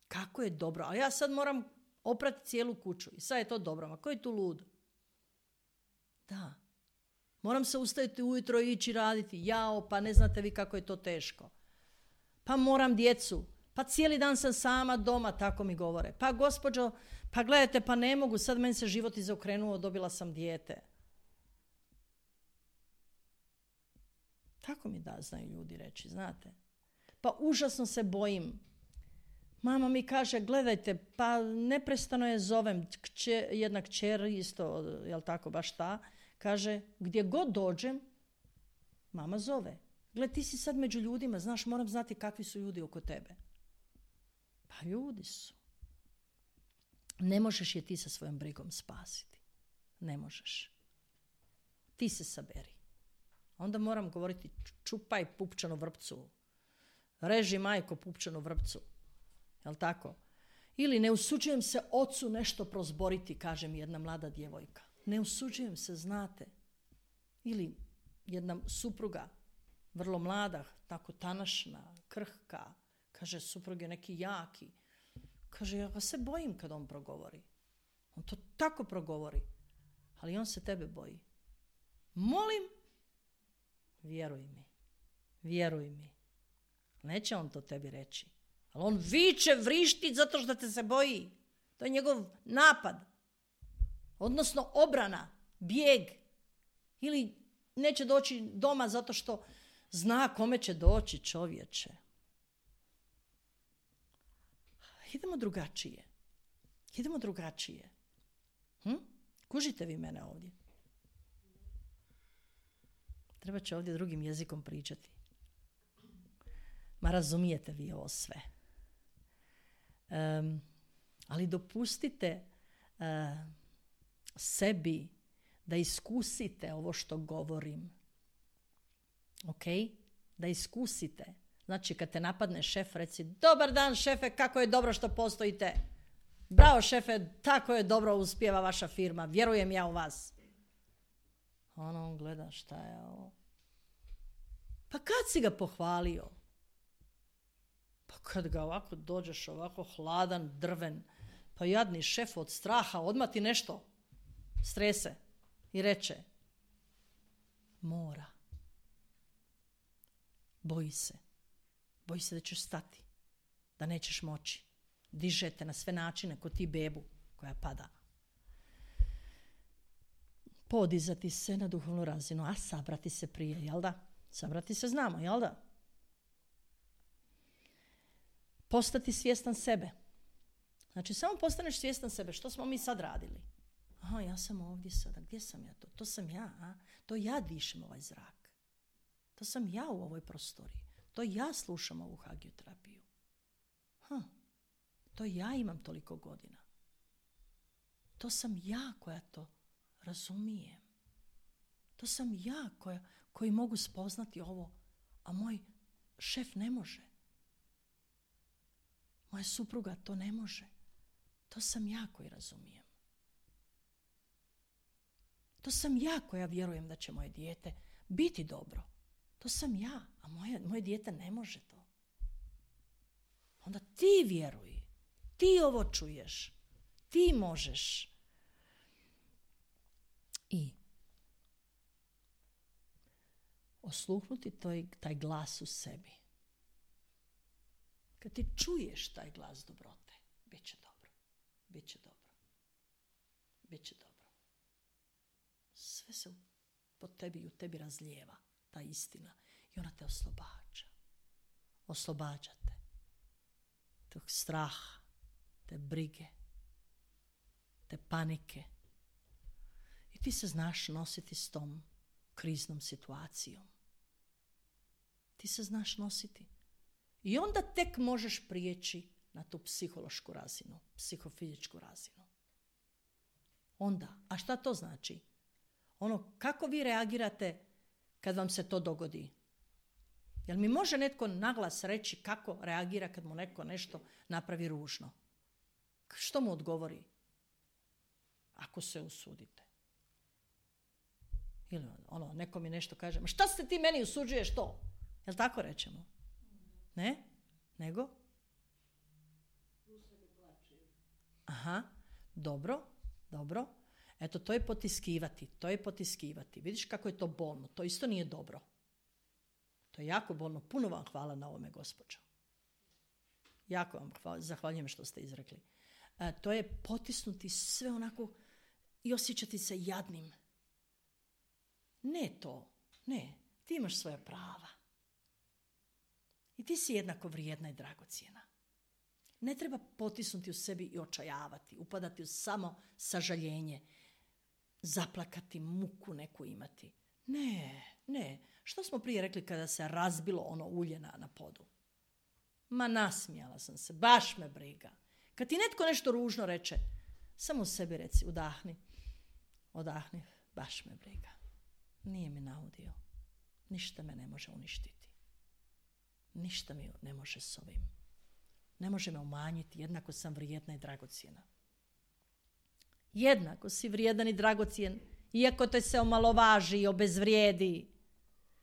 Kako je dobro. A ja sad moram oprati cijelu kuću. I sad je to dobro. Ma ko je tu lud? Da. Moram se ustaviti ujutro i ići raditi. Jao, pa ne znate vi kako je to teško. Pa moram djecu. Pa cijeli dan sam sama doma, tako mi govore. Pa gospođo, pa gledajte, pa ne mogu. Sad meni se život izokrenuo, dobila sam dijete. Tako mi da znaju ljudi reći, znate. Pa užasno se bojim. Mama mi kaže, gledajte, pa neprestano je zovem, kće, jedna kćer isto, jel tako, baš ta, kaže, gdje god dođem, mama zove. Gle, ti si sad među ljudima, znaš, moram znati kakvi su ljudi oko tebe. Pa ljudi su. Ne možeš je ti sa svojom brigom spasiti. Ne možeš. Ti se saberi. Onda moram govoriti, čupaj pupčanu vrpcu. Reži majko pupčanu vrpcu. Jel tako? Ili ne usuđujem se ocu nešto prozboriti, kaže mi jedna mlada djevojka. Ne usuđujem se, znate. Ili jedna supruga, vrlo mlada, tako tanašna, krhka, kaže, suprug je neki jaki. Kaže, ja ga se bojim kad on progovori. On to tako progovori. Ali on se tebe boji. Molim, vjeruj mi. Vjeruj mi. Neće on to tebi reći. Ali on viče, vrišti zato što te se boji. To je njegov napad. Odnosno obrana, bijeg. Ili neće doći doma zato što zna kome će doći, čovječe. Idemo drugačije. Idemo drugačije. Hm? Kužite vi mene ovdje? Treba će ovdje drugim jezikom pričati. Ma razumijete vi ovo sve. Um, ali dopustite uh, sebi da iskusite ovo što govorim. Ok? Da iskusite. Znači, kad te napadne šef, reci, dobar dan šefe, kako je dobro što postojite. Bravo šefe, tako je dobro uspijeva vaša firma, vjerujem ja u vas. Ono, on gleda šta je ovo. Pa kad si ga pohvalio? Pa kad ga ovako dođeš, ovako hladan, drven, pa jadni šef od straha, odmah ti nešto strese i reče, mora. Boji se. Boji se da ćeš stati, da nećeš moći. Dižete na sve načine kod ti bebu koja pada. Podizati se na duhovnu razinu, a sabrati se prije, jel da? Sabrati se znamo, jel da? Postati svjestan sebe. Znači, samo postaneš svjestan sebe. Što smo mi sad radili? Aha, ja sam ovdje sada. Gdje sam ja to? To sam ja, a? To ja dišem ovaj zrak. To sam ja u ovoj prostoriji. To ja slušam ovu hagioterapiju. Ha, to ja imam toliko godina. To sam ja koja to razumijem. To sam ja koja, koji mogu spoznati ovo, a moj šef ne može. Moja supruga to ne može. To sam ja koji razumijem. To sam ja koja vjerujem da će moje dijete biti dobro. To sam ja, a moje, moje dijete ne može to. Onda ti vjeruj. Ti ovo čuješ. Ti možeš. I osluhnuti toj, taj glas u sebi. Kad ti čuješ taj glas dobrote, bit će dobro. Bit će dobro. Bit će dobro. Sve se po tebi i u tebi razlijeva. Ta istina. I ona te oslobađa. Oslobađa te. Tog straha, te brige, te panike. I ti se znaš nositi s tom kriznom situacijom. Ti se znaš nositi. I onda tek možeš prijeći na tu psihološku razinu, psihofizičku razinu. Onda, a šta to znači? Ono, kako vi reagirate kad vam se to dogodi? Jel mi može netko naglas reći kako reagira kad mu neko nešto napravi ružno? Što mu odgovori? Ako se usudite. Ili ono, neko mi nešto kaže, ma šta se ti meni usuđuješ to? Jel tako rečemo? Ne? Nego? Aha, dobro, dobro. Eto, to je potiskivati, to je potiskivati. Vidiš kako je to bolno, to isto nije dobro. To je jako bolno. Puno vam hvala na ovome, gospođo. Jako vam hvala, zahvaljujem što ste izrekli. E, to je potisnuti sve onako i osjećati se jadnim. Ne to, ne. Ti imaš svoja prava. I ti si jednako vrijedna i dragocjena. Ne treba potisnuti u sebi i očajavati, upadati u samo sažaljenje, zaplakati, muku neku imati. Ne, ne. Što smo prije rekli kada se razbilo ono ulje na, na podu? Ma nasmijala sam se, baš me briga. Kad ti netko nešto ružno reče, samo u sebi reci, udahni, odahni, baš me briga. Nije mi naudio. Ništa me ne može uništiti. Ništa mi ne može s ovim. Ne može me umanjiti, jednako sam vrijedna i dragocjena. Jednako si vrijedan i dragocjen, iako te se omalovaži i obezvrijedi.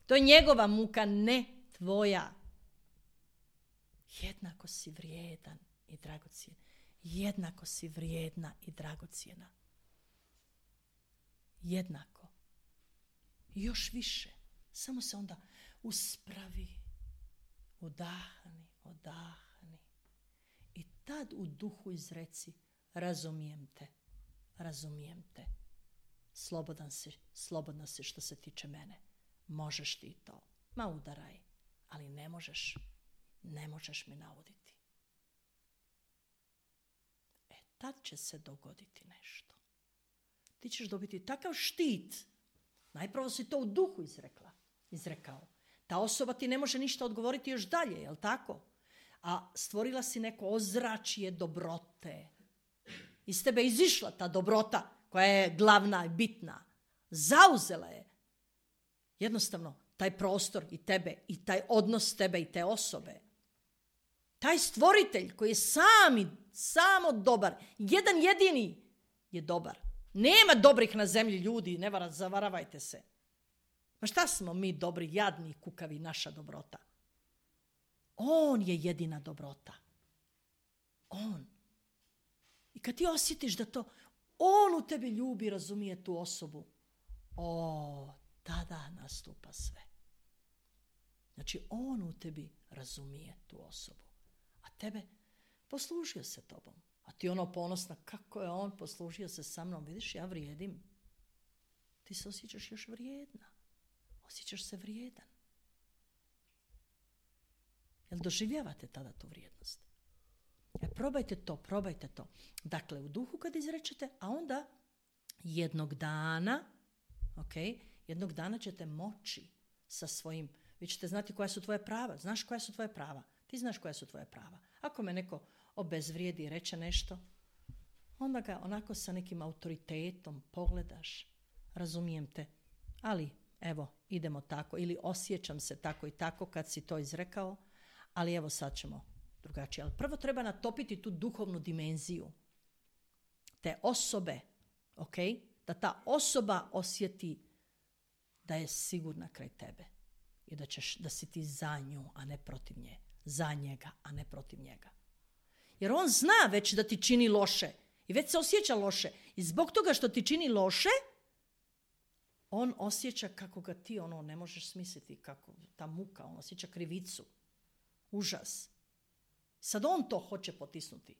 To je njegova muka, ne tvoja. Jednako si vrijedan i dragocjen. Jednako si vrijedna i dragocjena. Jednako. I još više. Samo se onda uspravi. Udahni, odahni. I tad u duhu izreci, razumijem te, razumijem te. Slobodan si, slobodna si što se tiče mene. Možeš ti to. Ma udaraj, ali ne možeš, ne možeš mi nauditi. E, tad će se dogoditi nešto. Ti ćeš dobiti takav štit. Najpravo si to u duhu izrekla, izrekao. Ta osoba ti ne može ništa odgovoriti još dalje, jel tako? A stvorila si neko ozračje dobrote. Iz tebe izišla ta dobrota koja je glavna i bitna. Zauzela je jednostavno taj prostor i tebe i taj odnos tebe i te osobe. Taj stvoritelj koji je sami, samo dobar, jedan jedini je dobar. Nema dobrih na zemlji ljudi, ne vara, zavaravajte se. Ma šta smo mi dobri, jadni, kukavi, naša dobrota? On je jedina dobrota. On. I kad ti osjetiš da to on u tebi ljubi, razumije tu osobu, o, tada nastupa sve. Znači, on u tebi razumije tu osobu. A tebe poslužio se tobom. A ti ono ponosna, kako je on poslužio se sa mnom. Vidiš, ja vrijedim. Ti se osjećaš još vrijedna. Osjećaš se vrijedan. Jel doživljavate tada tu vrijednost? E, probajte to, probajte to. Dakle, u duhu kad izrečete, a onda jednog dana, ok, jednog dana ćete moći sa svojim, vi ćete znati koja su tvoje prava. Znaš koja su tvoje prava? Ti znaš koja su tvoje prava. Ako me neko obezvrijedi i reče nešto, onda ga onako sa nekim autoritetom pogledaš, razumijem te, ali evo, idemo tako, ili osjećam se tako i tako kad si to izrekao, ali evo sad ćemo drugačije. Ali prvo treba natopiti tu duhovnu dimenziju te osobe, ok? Da ta osoba osjeti da je sigurna kraj tebe i da, ćeš, da si ti za nju, a ne protiv nje. Za njega, a ne protiv njega. Jer on zna već da ti čini loše i već se osjeća loše. I zbog toga što ti čini loše, on osjeća kako ga ti ono ne možeš smisliti, kako ta muka, on osjeća krivicu, užas. Sad on to hoće potisnuti.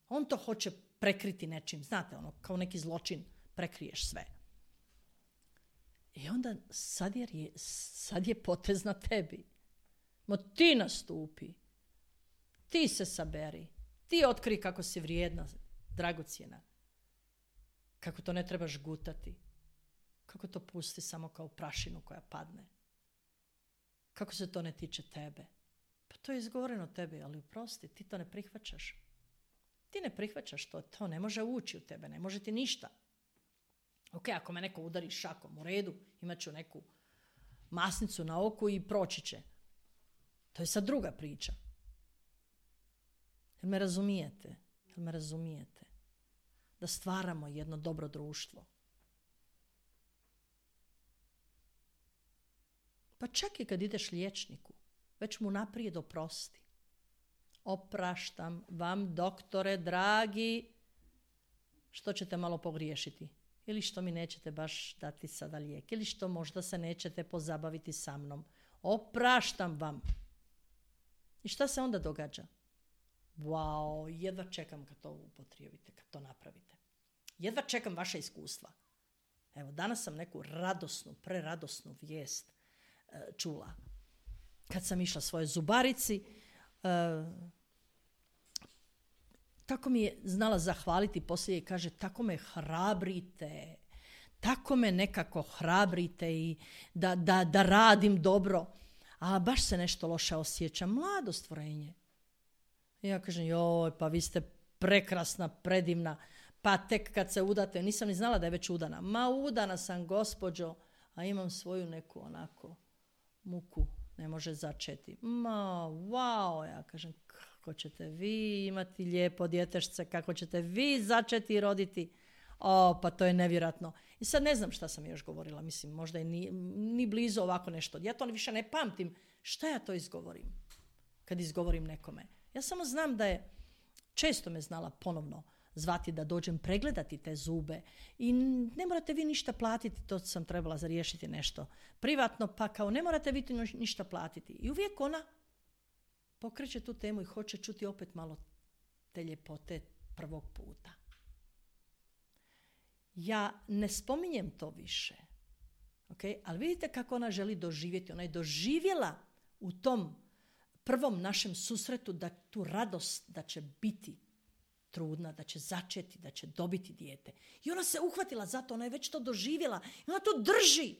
On to hoće prekriti nečim, znate, ono, kao neki zločin, prekriješ sve. I onda sad je, sad je potez na tebi. Mo ti nastupi, ti se saberi, ti otkri kako si vrijedna, dragocjena, kako to ne trebaš gutati, kako to pusti samo kao prašinu koja padne, kako se to ne tiče tebe. Pa to je izgovoreno tebi, ali oprosti, ti to ne prihvaćaš. Ti ne prihvaćaš to, to ne može ući u tebe, ne može ti ništa. Ok, ako me neko udari šakom, u redu, imat ću neku masnicu na oku i proći će. To je sad druga priča. Jel me razumijete? Jel me razumijete? Da stvaramo jedno dobro društvo. Pa čak i kad ideš liječniku, već mu naprijed oprosti. Opraštam vam, doktore, dragi, što ćete malo pogriješiti. Ili što mi nećete baš dati sada lijek. Ili što možda se nećete pozabaviti sa mnom. Opraštam vam. I šta se onda događa? Wow, jedva čekam kad to upotrijebite, kad to napravite. Jedva čekam vaše iskustva. Evo, danas sam neku radosnu, preradosnu vijest uh, čula. Kad sam išla svojoj zubarici, uh, tako mi je znala zahvaliti poslije i kaže, tako me hrabrite, tako me nekako hrabrite i da, da, da radim dobro. A baš se nešto loše osjećam. Mlado stvorenje. I ja kažem, joj, pa vi ste prekrasna, predivna. Pa tek kad se udate, nisam ni znala da je već udana. Ma udana sam, gospođo, a imam svoju neku onako muku. Ne može začeti. Ma, wow, ja kažem, kako ćete vi imati lijepo djetešce, kako ćete vi začeti i roditi. O, pa to je nevjerojatno. I sad ne znam šta sam još govorila, mislim, možda i ni, ni blizu ovako nešto. Ja to više ne pamtim. Šta ja to izgovorim kad izgovorim nekome? Ja samo znam da je, često me znala ponovno zvati da dođem pregledati te zube i ne morate vi ništa platiti, to sam trebala zariješiti nešto privatno, pa kao ne morate vi ništa platiti. I uvijek ona pokreće tu temu i hoće čuti opet malo te ljepote prvog puta. Ja ne spominjem to više, okay? Ali vidite kako ona želi doživjeti. Ona je doživjela u tom prvom našem susretu da tu radost da će biti trudna, da će začeti, da će dobiti dijete. I ona se uhvatila za to, ona je već to doživjela i ona to drži.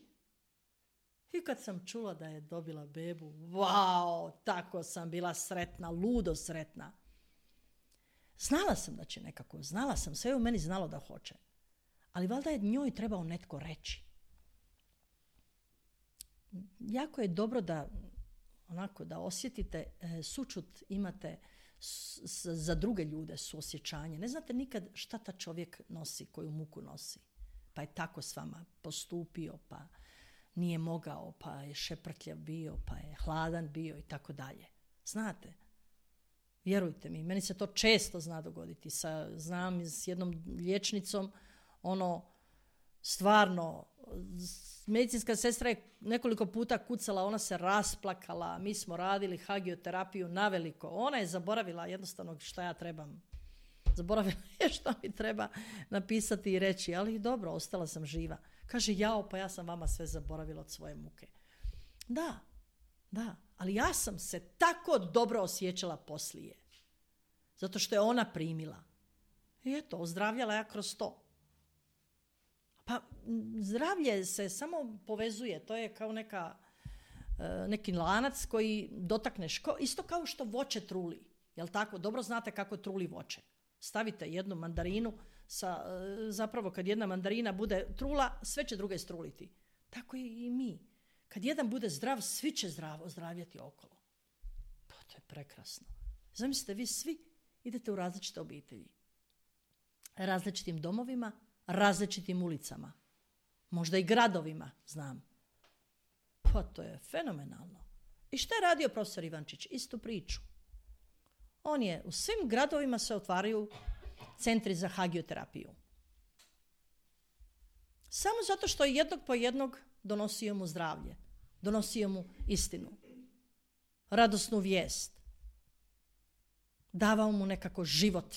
I kad sam čula da je dobila bebu, wow, tako sam bila sretna, ludo sretna. Znala sam da će nekako, znala sam, sve u meni znalo da hoće. Ali valjda je njoj trebao netko reći. Jako je dobro da onako da osjetite e, sućut, imate s, s, za druge ljude suosjećanje. Ne znate nikad šta ta čovjek nosi, koju muku nosi. Pa je tako s vama postupio, pa nije mogao, pa je šeprtljav bio, pa je hladan bio i tako dalje. Znate, vjerujte mi, meni se to često zna dogoditi. Sa, znam s jednom liječnicom, ono, stvarno, medicinska sestra je nekoliko puta kucala, ona se rasplakala, mi smo radili hagioterapiju naveliko. Ona je zaboravila jednostavno šta ja trebam. Zaboravila je šta mi treba napisati i reći, ali dobro, ostala sam živa. Kaže, jao, pa ja sam vama sve zaboravila od svoje muke. Da, da, ali ja sam se tako dobro osjećala poslije. Zato što je ona primila. I eto, ozdravljala ja kroz to. Pa zdravlje se samo povezuje, to je kao neka, neki lanac koji dotakneš, isto kao što voće truli, jel tako? Dobro znate kako truli voće. Stavite jednu mandarinu, sa, zapravo kad jedna mandarina bude trula, sve će druge struliti. Tako i mi. Kad jedan bude zdrav, svi će zdravo zdravjeti okolo. Pa to je prekrasno. Zamislite, vi svi idete u različite obitelji, različitim domovima, različitim ulicama, možda i gradovima, znam. Pa to je fenomenalno. I što je radio profesor Ivančić? Istu priču. On je, u svim gradovima se otvaraju centri za hagioterapiju. Samo zato što jednog po jednog donosio mu zdravlje, donosio mu istinu, radosnu vijest, davao mu nekako život.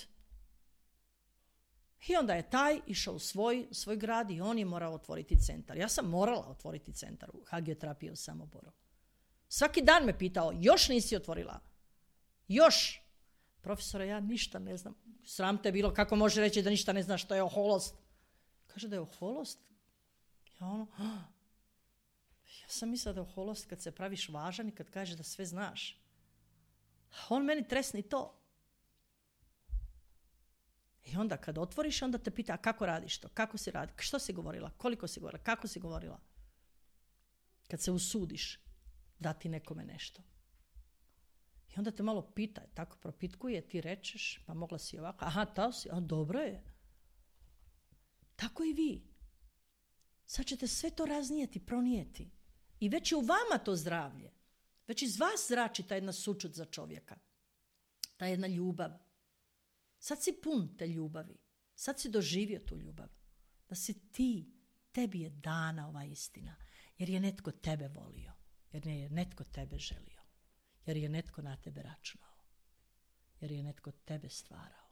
I onda je taj išao u svoj, svoj grad i on je morao otvoriti centar. Ja sam morala otvoriti centar u hagioterapiji u Samoboru. Svaki dan me pitao, još nisi otvorila? Još? Profesore, ja ništa ne znam. Sram te bilo, kako može reći da ništa ne zna što je oholost? Kaže da je oholost? Ja ono, ah, ja sam mislila da je oholost kad se praviš važan i kad kažeš da sve znaš. On meni tresni to. I onda kad otvoriš, onda te pita, a kako radiš to? Kako si radi? Što si govorila? Koliko si govorila? Kako si govorila? Kad se usudiš dati nekome nešto. I onda te malo pita, tako propitkuje, ti rečeš, pa mogla si ovako, aha, to si, a dobro je. Tako i vi. Sad ćete sve to raznijeti, pronijeti. I već je u vama to zdravlje. Već iz vas zrači ta jedna sućut za čovjeka. Ta jedna ljubav. Sad si pun te ljubavi. Sad si doživio tu ljubav. Da si ti, tebi je dana ova istina. Jer je netko tebe volio. Jer je netko tebe želio. Jer je netko na tebe računao. Jer je netko tebe stvarao.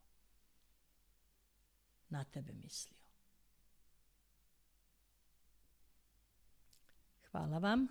Na tebe mislio. Hvala vam.